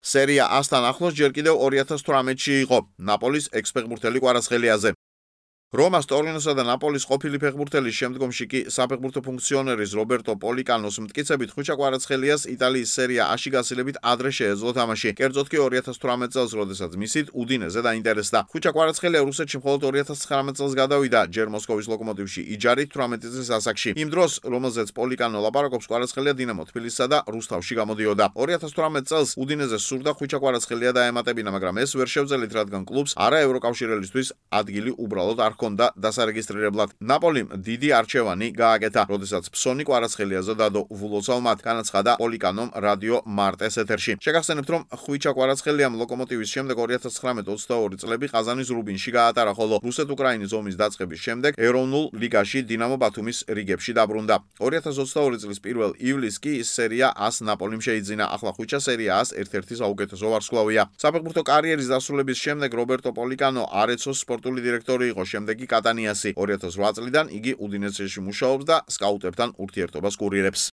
სერია A-სთან ახლოს ჯერ კიდევ 2018-ში იყო ნაპოლის ექს-ფეხბურთელი კვარაცხელიაზე. რომას, ტორინოსა და ნაპოლის ყოფილი ფეხბურთელის, შემდგომში კი საფეხბურთო ფუნქციონერის რობერტო პოლიკანოს მტკიცებით ხვიჩა კვარაცხელიას იტალიის სერია A-ში გასილებით ადრე შეეძლო თამაში. კერძოდ კი 2018 წელს, როდესაც მისით უდინეზე დაინტერესდა. ხვიჩა კვარაცხელია რუსეთში მხოლოდ 2019 წელს გადავიდა, ჯერ მოსკოვის ლოკომოტივში იჯარით 18 წლის ასაკში. იმ დროს, რომელზეც პოლიკანო ლაპარაკობს, კვარაცხელია დინამო თბილისსა და რუსთავში გამოდიოდა. 2018 წელს უდინეზე სურდა ხვიჩა კვარაცხელია დაემატებინა, მაგრამ ეს ვერ შევძელით, რადგან კლუბს არა ევროკავშირელისთვის ადგილი უბრალოდ არ ჰქონდა დასარეგისტრირებლად. ნაპოლიმ დიდი არჩევანი გააკეთა, როდესაც ფსონი კვარაცხელიაზე დადო ვულოცავ-მათ, განაცხადა პოლიკანომ რადიო მარტეს ეთერში. შეგახსენებთ, რომ ხვიჩა კვარაცხელიამ ლოკომოტივის შემდეგ 2019-22 წლები ყაზანის რუბინში გაატარა, ხოლო რუსეთ-უკრაინის ომის დაწყების შემდეგ ეროვნულ ლიგაში დინამო ბათუმის რიგებში დაბრუნდა. 2022 წლის 1 ივლისს კი სერია A-ს ნაპოლიმ შეიძინა. ახლა ხვიჩა სერია A-ს ერთ-ერთი საუკეთესო ვარსკვლავია. საფეხბურთო კარიერის დასრულების შემდეგ რობერტო პოლიკანო არეცოს სპორტული დირექტორი იყო, შემდეგი კატანიასი. 2008 წლიდან იგი უდინეზეში მუშაობს და სკაუტებთან ურთიერთობას კურირებს.